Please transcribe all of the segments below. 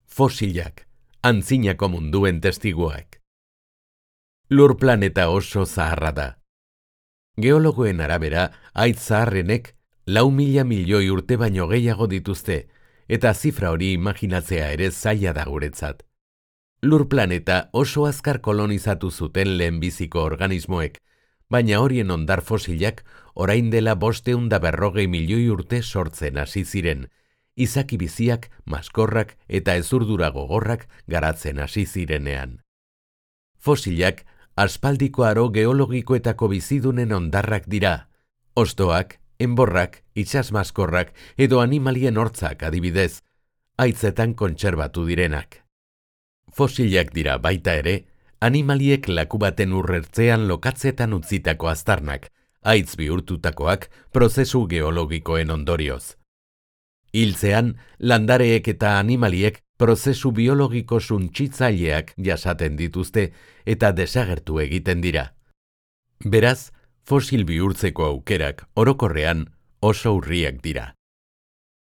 Fosilak, antzinako munduen testiguak. Lur planeta oso zaharra da. Geologoen arabera, haitz zaharrenek 4.000 milioi urte baino gehiago dituzte, eta zifra hori imaginatzea ere zaila da guretzat. Lur planeta oso azkar kolonizatu zuten lehenbiziko organismoek, baina horien hondar fosilak orain dela 540 milioi urte sortzen hasi ziren, izaki biziak, maskorrak eta ezurdura gogorrak garatzen hasi zirenean. Fosilak aspaldiko aro geologikoetako bizidunen hondarrak dira, hostoak, enborrak, itsasmaskorrak edo animalien hortzak adibidez, haitzetan kontserbatu direnak. Fosilak dira baita ere, animaliek laku baten urrertzean lokatzetan utzitako aztarnak, haitz bihurtutakoak prozesu geologikoen ondorioz. Hiltzean, landareek eta animaliek prozesu biologiko suntsitzaileak jasaten dituzte eta desagertu egiten dira. Beraz, fosil bihurtzeko aukerak orokorrean oso urriak dira.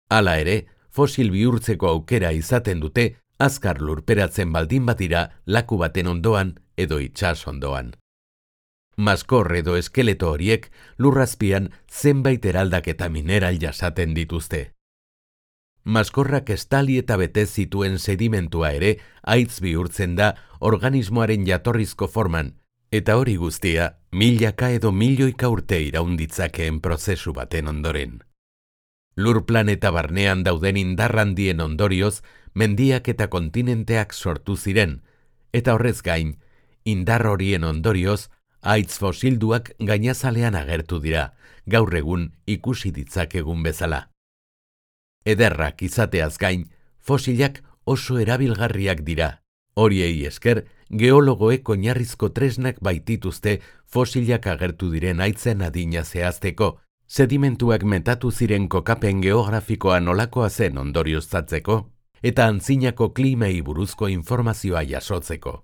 Hala ere, fosil bihurtzeko aukera izaten dute azkar lurperatzen baldin badira laku baten ondoan edo itsas ondoan. Maskor edo eskeleto horiek lurrazpian zenbait eraldaketa mineral jasaten dituzte. Maskorrak estali eta bete zituen sedimentua ere haitz bihurtzen da organismoaren jatorrizko forman, eta hori guztia milaka edo milioika urte iraun ditzakeen prozesu baten ondoren. Lur planeta barnean dauden indar handien ondorioz, mendiak eta kontinenteak sortu ziren, eta horrez gain, indar horien ondorioz, haitz fosilduak gainazalean agertu dira, gaur egun ikusi ditzakegun bezala. Ederrak izateaz gain, fosilak oso erabilgarriak dira. Horiei esker, geologoek oinarrizko tresnak baitituzte fosilak agertu diren haitzen adina zehazteko, sedimentuak metatu ziren kokapen geografikoa nolakoa zen ondorioztatzeko, eta antzinako klimei buruzko informazioa jasotzeko.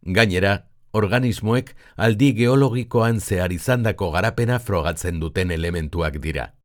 Gainera, organismoek aldi geologikoan zehar izandako garapena frogatzen duten elementuak dira.